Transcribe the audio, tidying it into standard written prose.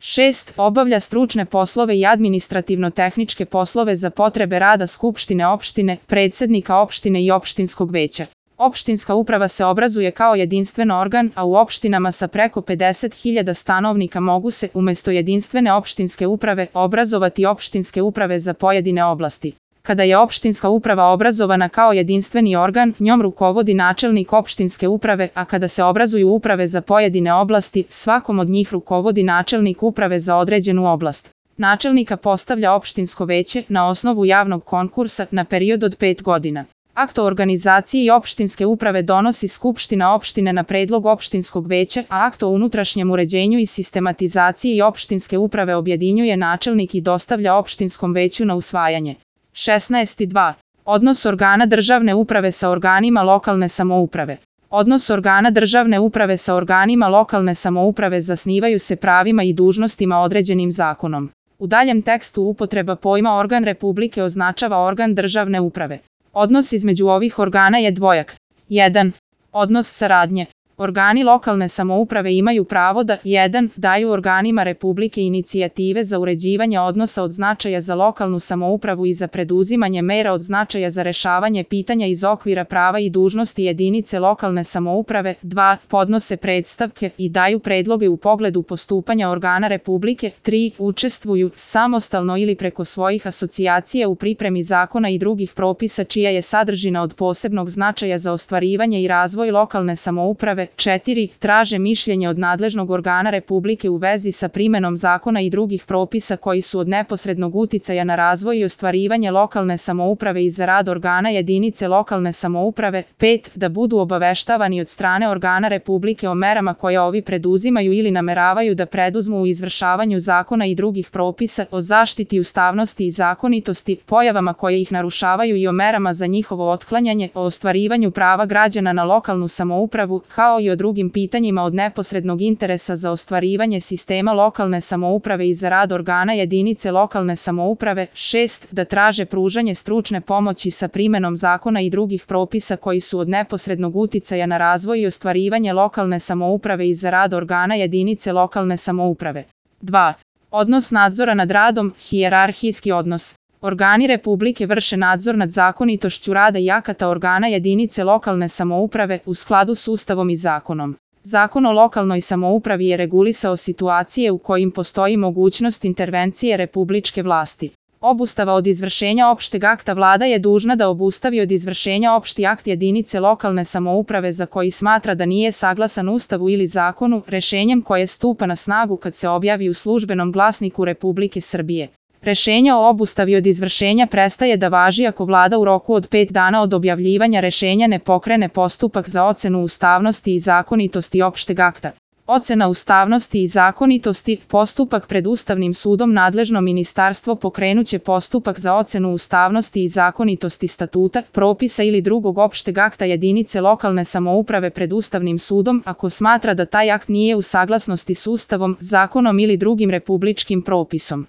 6. Obavlja stručne poslove i administrativno-tehničke poslove za potrebe rada skupštine opštine, predsednika opštine i opštinskog veća. Opštinska uprava se obrazuje kao jedinstven organ, a u opštinama sa preko 50.000 stanovnika mogu se, umesto jedinstvene opštinske uprave, obrazovati opštinske uprave za pojedine oblasti. Kada je opštinska uprava obrazovana kao jedinstveni organ, njom rukovodi načelnik opštinske uprave, a kada se obrazuju uprave za pojedine oblasti, svakom od njih rukovodi načelnik uprave za određenu oblast. Načelnika postavlja opštinsko veće na osnovu javnog konkursa na period od 5 godina. Akt o organizaciji opštinske uprave donosi Skupština opštine na predlog opštinskog veća, a akt o unutrašnjem uređenju i sistematizaciji opštinske uprave objedinjuje načelnik i dostavlja opštinskom veću na usvajanje. 16.2. Odnos organa državne uprave sa organima lokalne samouprave. Odnos organa državne uprave sa organima lokalne samouprave zasnivaju se pravima i dužnostima određenim zakonom. U daljem tekstu upotreba pojma organ Republike označava organ državne uprave. Odnos između ovih organa je dvojak. 1. Odnos saradnje. Organi lokalne samouprave imaju pravo da 1. daju organima Republike inicijative za uređivanje odnosa od značaja za lokalnu samoupravu i za preduzimanje mera od značaja za rešavanje pitanja iz okvira prava i dužnosti jedinice lokalne samouprave, 2. podnose predstavke i daju predloge u pogledu postupanja organa Republike, 3. učestvuju samostalno ili preko svojih asocijacija u pripremi zakona i drugih propisa čija je sadržina od posebnog značaja za ostvarivanje i razvoj lokalne samouprave, 4. traže mišljenje od nadležnog organa Republike u vezi sa primenom zakona i drugih propisa koji su od neposrednog uticaja na razvoj i ostvarivanje lokalne samouprave i za rad organa jedinice lokalne samouprave, 5. da budu obaveštavani od strane organa Republike o merama koje ovi preduzimaju ili nameravaju da preduzmu u izvršavanju zakona i drugih propisa, o zaštiti ustavnosti i zakonitosti, pojavama koje ih narušavaju i o merama za njihovo otklanjanje, o ostvarivanju prava građana na lokalnu samoupravu, kao i o drugim pitanjima od neposrednog interesa za ostvarivanje sistema lokalne samouprave i za rad organa jedinice lokalne samouprave, 6. da traže pružanje stručne pomoći sa primenom zakona i drugih propisa koji su od neposrednog uticaja na razvoj i ostvarivanje lokalne samouprave i za rad organa jedinice lokalne samouprave. 2. Odnos nadzora nad radom, hijerarhijski odnos. Organi Republike vrše nadzor nad zakonitošću rada i akata organa jedinice lokalne samouprave u skladu s Ustavom i zakonom. Zakon o lokalnoj samoupravi je regulisao situacije u kojim postoji mogućnost intervencije republičke vlasti. Obustava od izvršenja opšteg akta vlada je dužna da obustavi od izvršenja opšti akt jedinice lokalne samouprave za koji smatra da nije saglasan Ustavu ili zakonu, rešenjem koje stupa na snagu kad se objavi u Službenom glasniku Republike Srbije. Rešenje o obustavi od izvršenja prestaje da važi ako vlada u roku od 5 dana od objavljivanja rešenja ne pokrene postupak za ocenu ustavnosti i zakonitosti opšteg akta. Ocena ustavnosti i zakonitosti, postupak pred Ustavnim sudom nadležno ministarstvo pokrenuće postupak za ocenu ustavnosti i zakonitosti statuta, propisa ili drugog opšteg akta jedinice lokalne samouprave pred Ustavnim sudom ako smatra da taj akt nije u saglasnosti s Ustavom, zakonom ili drugim republičkim propisom.